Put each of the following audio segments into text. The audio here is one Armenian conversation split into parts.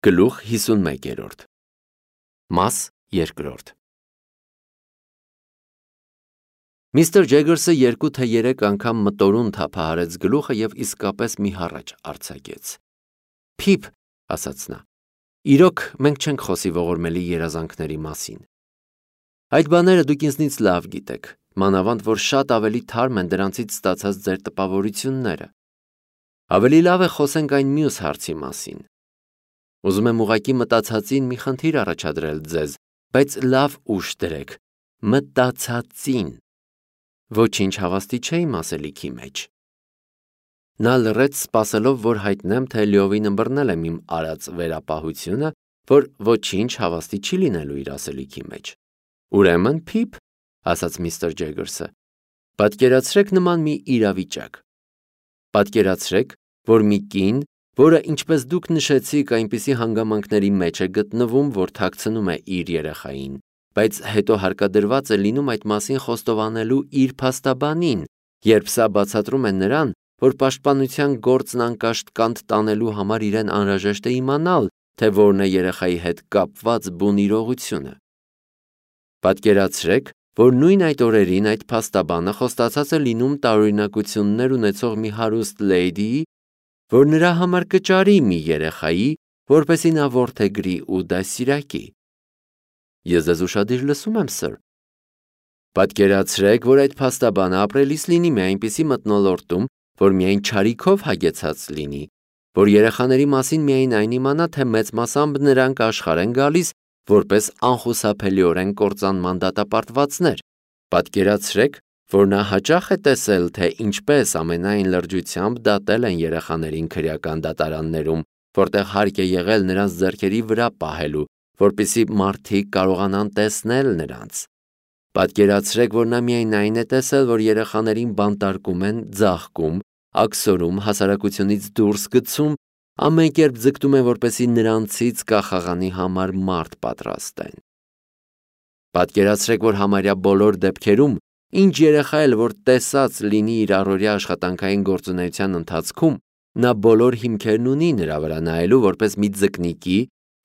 Գլուխ 51 Մաս 2 Միստր Ջեգերսը 2 թե 3 անգամ մտորուն թափահարեց գլուխը և իսկապես մի հառաչ արձակեց։ Փիփ, ասաց նա, իրոք մենք չենք խոսի ողորմելի երազանքների մասին։ Այդ բաները դուք ինձնից լավ գիտեք, մանավանդ որ շատ ավելի թարմ են դրանցից ստացած ձեր տպավորությունները։ Ավելի լավ է խոսենք այն մյուս հարցի մասին։ Ուզում եմ ուղղակի մտածածին մի խնդիր առաջադրել ձեզ, բայց լավ ուշ դրեք, մտածածին։ Ոչինչ հավաստի չէ իմ ասելիքի մեջ։ Նա լռեց, սպասելով, որ հայտնեմ, թե լիովին ըմբռնել եմ իմ արած վերապահությունը, որ ոչինչ հավաստի չի լինելու իր ասելիքի մեջ։ Ուրեմն, Փիփ, ասաց միստր Ջեգերսը, պատկերացրեք նման մի իրավիճակ։ Պատկերացրեք, որ մի կին, որը, ինչպես դուք նշեցիք, այնպիսի հանգամանքների մեջ է գտնվում, որ թաքցնում է իր երեխային, բայց հետո հարկադրված է լինում այդ մասին խոստովանելու իր փաստաբանին, երբ սա բացատրում է նրան, որ պաշտպանության գործն անկաշտ կանտ տանելու համար իրեն անհրաժեշտ է իմանալ, թե որն է երեխայի հետ կապված բուն իրողությունը։ Պատկերացրեք, որ նույն այդ օրերին այդ փաստաբանը խոստացած է լինում տարօրինակություններ ունեցող մի հարուստ լեյդիի, որ նրա համար կճարի մի երեխայի, որպեսզի նա որդեգրի ու դաստիարակի։ Ես ձեզ ուշադիր լսում եմ, սըր։ Պատկերացրեք, որ այդ փաստաբանը ապրելիս լինի մի այնպիսի մթնոլորտում, որ միայն չարիքով հագեցած լինի, որ երեխաների մասին միայն այն իմանա, թե մեծ մասամբ նրանք աշխարհ են գալիս որպես անխուսափելիորեն կործանման դատապարտվածներ։ Պատկերացրեք, որ նա հաճախ է տեսել, թե ինչպես ամենայն լրջությամբ դատել են երեխաներին քրեական դատարաններում, որտեղ հարկ է եղել նրանց ձեռքերի վրա պահելու, որպեսզի մարդիկ կարողանան տեսնել նրանց։ Պատկերացրեք, որ նա միայն այն է տեսել, որ երեխաներին բանտարկում են, ձաղկում, աքսորում, հասարակությունից դուրս գցում, ամեն կերպ ձգտում են, որպեսզի նրանցից կախաղանի համար մարդ պատրաստեն։ Պատկերացրեք, որ համարյա բոլոր դեպքերում, ինչ երեխա էլ որ տեսած լինի իր առօրյա աշխատանքային գործունեության ընթացքում, նա բոլոր հիմքերն ունի նրա վրա նայելու որպես մի ձկնիկի,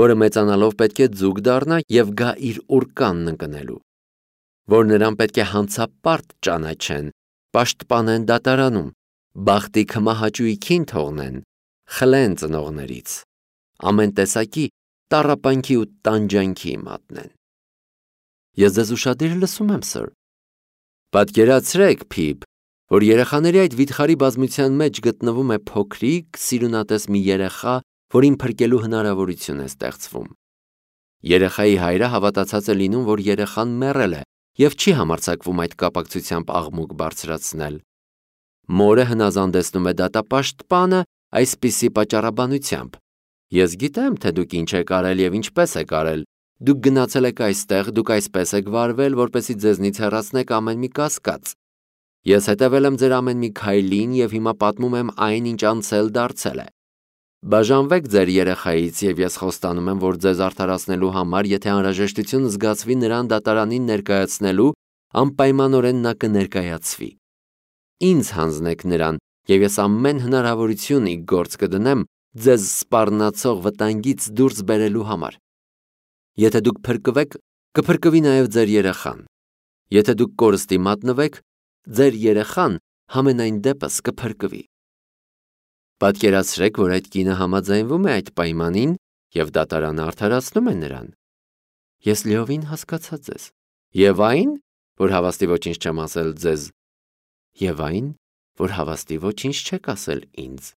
որը մեծանալով պետք է ձուկ դառնա և գա իր ուռկանն ընկնելու, որ նրան պետք է հանցապարտ ճանաչեն, պաշտպանեն դատարանում, բախտի քմահաճույքին թողնեն, խլեն ծնողներից, ամեն տեսակի տառապանքի ու տանջանքի մատնեն։ Ես ձեզ ուշադիր լսում եմ, սըր։ Պատկերացրեք, Փիփ, որ երեխաների այդ վիթխարի բազմության մեջ գտնվում է փոքրիկ, սիրունատես մի երեխա, որին փրկելու հնարավորություն է ստեղծվում։ Երեխայի հայրը հավատացած է լինում, որ երեխան մեռել է և չի համարձակվում այդ կապակցությամբ աղմուկ բարձրացնել։ Մորը հնազանդեցնում է դատապաշտպանը այսպիսի պատճառաբանությամբ. Ես գիտեմ, թե դուք ինչ եք արել և ինչպես եք արել, դուք գնացել եք այստեղ, դուք այսպես եք վարվել, որպեսզի ձեզնից հեռացնեք ամեն մի կասկած։ Ես հետևել եմ ձեր ամեն մի քայլին և հիմա պատմում եմ այն, ինչ անցել դարձել է։ Բաժանվեք ձեր երեխայից և ես խոստանում եմ, որ ձեզ արդարացնելու համար, եթե անհրաժեշտություն զգացվի նրան դատարանին ներկայացնելու, անպայմանորեն նա կներկայացվի։ Ինձ հանձնեք նրան, և ես ամեն հնարավորություն ի գործ կդնեմ ձեզ սպառնացող վտանգից դուրս բերելու համար։ Եթե դուք փրկվեք, կփրկվի նաև ձեր երեխան։ Եթե դուք կորստի մատնվեք, ձեր երեխան համենայն դեպս կփրկվի։ Պատկերացրեք, որ այդ կինը համաձայնվում է այդ պայմանին և դատարանը արդարացնում է նրան։ Ես լիովին հասկացա ձեզ։ Եվ այն, որ հավաստի ոչինչ չեմ ասել ձեզ։ Եվ այն, որ հավաստի ոչինչ չեք ասել ինձ։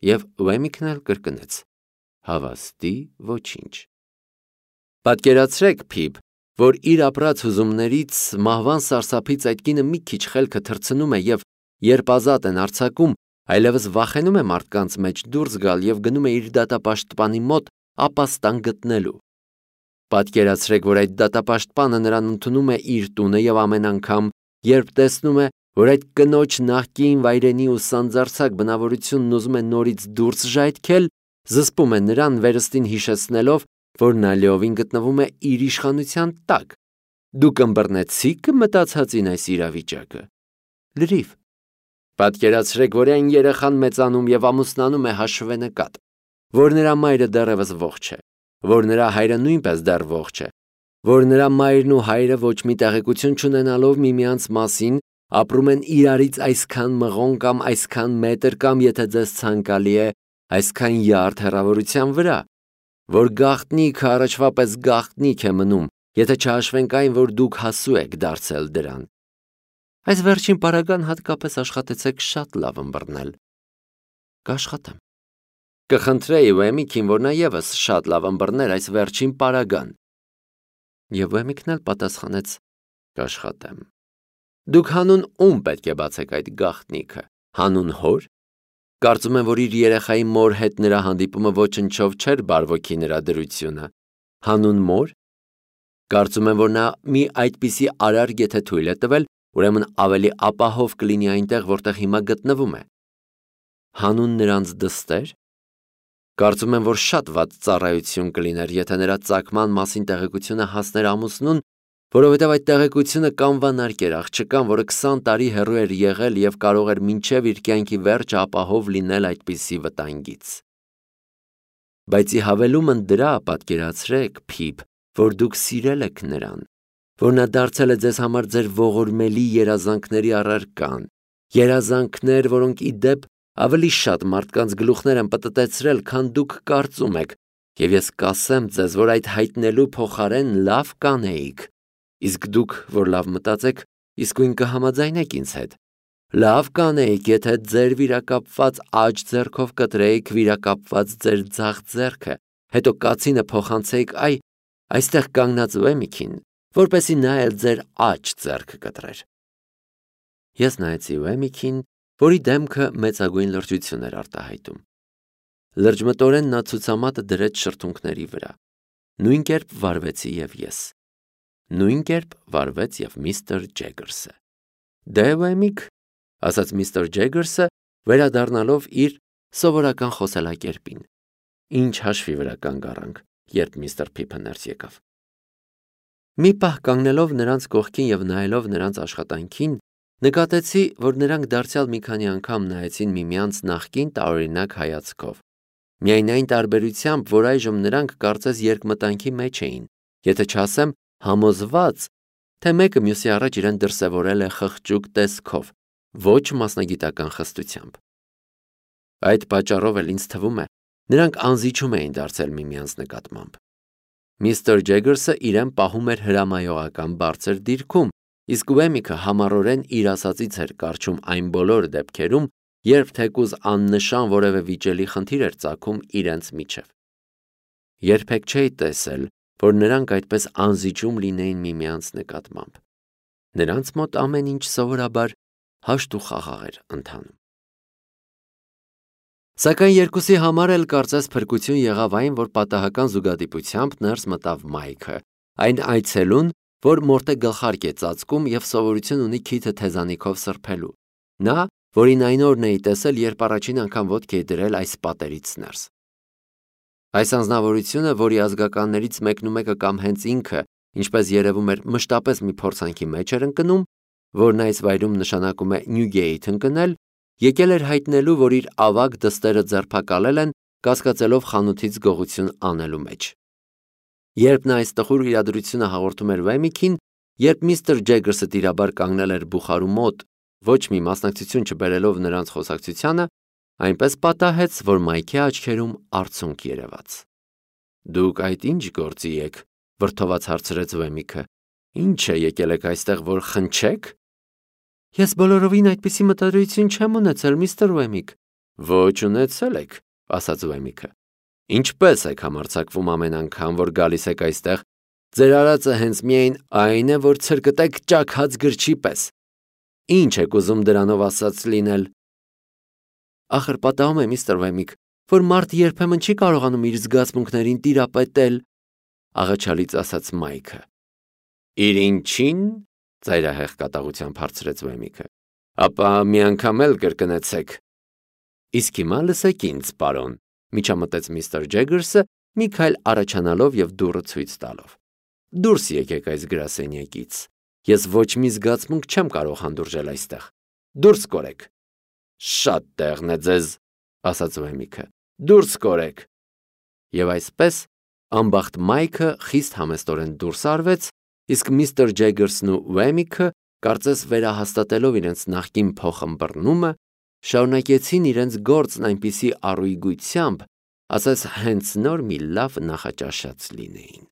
Եվ Ուեմիկն էլ կրկնեց. հավաստի ոչինչ։ Պատկերացրեք, Փիփ, որ իր ապրած հուզումներից, մահվան սարսափից այդ կինը մի քիչ խելքը թռցնում է և երբ ազատ են արձակում, այլևս վախենում է մարդկանց մեջ դուրս գալ և գնում է իր դատապաշտպանի մոտ ապաստան գտնելու։ Պատկերացրեք, որ այդ դատապաշտպանը նրան ընդունում է իր տունը և ամեն անգամ, երբ տեսնում է, որ այդ կնոջ նախկին վայրենի ու սանձարձակ բնավորությունն ուզում է նորից դուրս ժայթքել, զսպում է նրան վերստին հիշեցնելով, որ նա լիովին գտնվում է իր իշխանության տակ։ Դուք ըմբռնեցիք մտածածին այս իրավիճակը։ Լրիվ։ Պատկերացրեք, որ այն երեխան մեծանում և ամուսնանում է հաշվենկատ։ որ նրա մայրը դեռևս ողջ է, որ նրա հայրը նույնպես դեռ ողջ է, որ նրա մայրն ու հայրը ոչ մի տեղեկություն չունենալով միմյանց մասին ապրում են իրարից այսքան մղոն կամ այսքան մետր կամ եթե ձեզ ցանկալի է, այսքան յարդ հեռավորության վրա, որ գաղտնիքը առաջվա պես գաղտնիք է մնում, եթե չհաշվենք այն, որ դուք հասու եք դարձել դրան։ Այս վերջին պարագան հատկապես աշխատեցեք շատ լավ ըմբռնել։ Կաշխատեմ։ Կխնդրեի Ուեմիկին, որ նա ևս շատ լավ ըմբռներ այս վերջին պարագան։ Եվ Ուեմիկն էլ պատասխանեց. կաշխատեմ։ Դուք հանուն ում պետք է բացեք այդ գաղտնիքը, հանուն հոր։ Կարծում եմ, որ իր երեխայի մոր հետ նրա հանդիպումը ոչնչով չէր բարվոքի նրա դրությունը, հանուն մոր։ Կարծում եմ, որ նա մի այդպիսի արարք եթե թույլ է տվել, ուրեմն ավելի ապահով կլինի այնտեղ, որտեղ հիմա գտնվում է։ Հանուն նրանց դստեր։ Կարծում եմ, որ շատ վատ ծառայություն կլիներ, եթե նրա ծագման մասին տեղեկությունը հասներ ամուսնուն, որովհետև այդ տեղեկությունը կանվանարկեր աղջկան, որը 20 տարի հեռու էր եղել և կարող էր մինչև իր կյանքի վերջը ապահով լինել այդպիսի վտանգից։ Բայց ի հավելումն դրա պատկերացրեք, Փիփ, որ դուք սիրել եք նրան, որ նա դարձել է ձեզ համար ձեր ողորմելի երազանքների առարկան, երազանքներ, որոնք ի դեպ ավելի շատ մարդկանց գլուխներ են պտտեցրել, քան դուք կարծում եք, և ես կասեմ ձեզ, որ այդ հայտնելու փոխարեն լավ կանեիք, իսկ դուք, որ լավ մտածեք, իսկույն կհամաձայնեք ինձ հետ։ Լավ կանեիք, եթե ձեր վիրակապված աջ ձեռքով կտրեիք վիրակապված ձեր ձախ ձեռքը, հետո կացինը փոխանցեիք այստեղ կանգնած Ուեմիկին, որպեսզի նա էլ ձեր աջ ձեռքը կտրեր։ Ես նայեցի Ուեմիկին, որի դեմքը մեծագույն լրջություն էր արտահայտում։ Լրջմտորեն նա ցուցամատը դրեց շրթունքների վրա։ Նույն կերպ վարվեցի և ես։ Նույն կերպ վարվեց և միստր Ջեգերսը։ Դե Ուեմիկ, ասաց միստր Ջեգերսը, վերադառնալով իր սովորական խոսելակերպին։ Ինչ հաշվի վրա կանգ առանք, երբ միստր Փիփը ներս եկավ։ Մի պահ կանգնելով նրանց կողքին և նայելով նրանց աշխատանքին, նկատեցի, որ նրանք դարձյալ մի քանի անգամ նայեցին միմյանց նախկին տարօրինակ հայացքով։ Միայն այն տարբերությամբ, որ այժմ նրանք կարծես երկմտանքի մեջ էին, եթե չասեմ համոզված, թե մեկը մյուսի առաջ իրեն դրսևորել է խղճուկ տեսքով, ոչ մասնագիտական խստությամբ։ Այդ պատճառով էլ ինձ թվում է, նրանք անզիջում էին դարձել միմյանց նկատմամբ։ Միստր Ջեգերսը իրեն պահում էր հրամայողական բարձր դիրքում, իսկ Ուեմիկը համառորեն իր ասածից էր կառչում այն բոլոր դեպքերում, երբ թեկուզ աննշան որևէ վիճելի խնդիր էր ծագում իրենց միջև։ Երբեք չէի տեսել, որ նրանք այդպես անզիջում լինեին միմյանց նկատմամբ։ Նրանց մոտ ամեն ինչ սովորաբար հաշտ ու խաղաղ էր ընթանում։ Սակայն երկուսի համար էլ կարծես փրկություն եղավ այն, որ պատահական զուգադիպությամբ ներս մտավ Մայքը, այն այցելուն, որ մորթե գլխարկ է ծածկում և սովորություն ունի քիթը թեզանիքով սրբելու։ Նա, որին այն օրն էի տեսել, երբ առաջին անգամ ոտք էի դրել այս պատերից ներս։ Այս անձնավորությունը, որի ազգականներից մեկնումեկը կամ հենց ինքը, ինչպես երևում էր, մշտապես մի փորձանքի մեջ էր ընկնում, որն այս վայրում նշանակում է Նյուգեիթ ընկնել, եկել էր հայտնելու, որ իր ավագ դստերը ձերբակալել են, կասկածելով խանութից գողություն անելու մեջ։ Երբ նա այս տխուր իրադրությունը հաղորդում էր Ուեմիկին, երբ միստր Ջեգերսը տիրաբար կանգնել էր բուխարու մոտ, ոչ մի մասնակցություն չբերելով նրանց խոսակցությանը, այնպես պատահեց, որ Մայքի աչքերում արցունք երևաց։ Դուք այդ ինչ գործի եք, վրդոված հարցրեց Ուեմիկը։ Ինչ է եկել եք այստեղ, որ խնչեք։ Ես բոլորովին այդպիսի մտադրություն չեմ ունեցել, միստր Ուեմիկ։ Ոչ ունեցել եք, ասաց Ուեմիկը։ Ինչպես եք համարձակվում ամեն անգամ, որ գալիս եք այստեղ, ձեր արածը հենց միայն այն է, որ ցրկտեք ճաքած գրչի պես։ Ինչ եք ուզում դրանով ասած լինել։ Ախր պատահում է, միստր Ուեմիկ, որ մարդ երբեմն չի կարողանում իր զգացմունքներին տիրապետել, աղաչալից ասաց Մայքը։ Իր ինչին, ծայրահեղ կատաղությամբ հարցրեց Ուեմիկը։ Ապա մի անգամ էլ կրկնեցեք։ Իսկ հիմա լսեք ինձ, պարոն, միջամտեց միստր Ջեգերսը, մի քայլ առաջանալով և դուռը ցույց տալով։ Դուրս եկեք այս գրասենյակից։ Ես ոչ մի զգացմունք չեմ կարող հանդուրժել այստեղ։ Դուրս կորեք։ Շատ տեղն է ձեզ, ասաց Ուեմիկը։ Դուրս կորեք։ Եվ այսպես անբախտ Մայքը խիստ համեստորեն դուրս արվեց, իսկ միստր Ջեգերսն ու Վեմիքը, կարծես վերահաստատելով իրենց նախկին փոխըմբռնումը, շարունակեցին իրենց գործն այնպիսի առույգությամբ, ասես հենց նոր մի լավ նախաճաշած լինեին։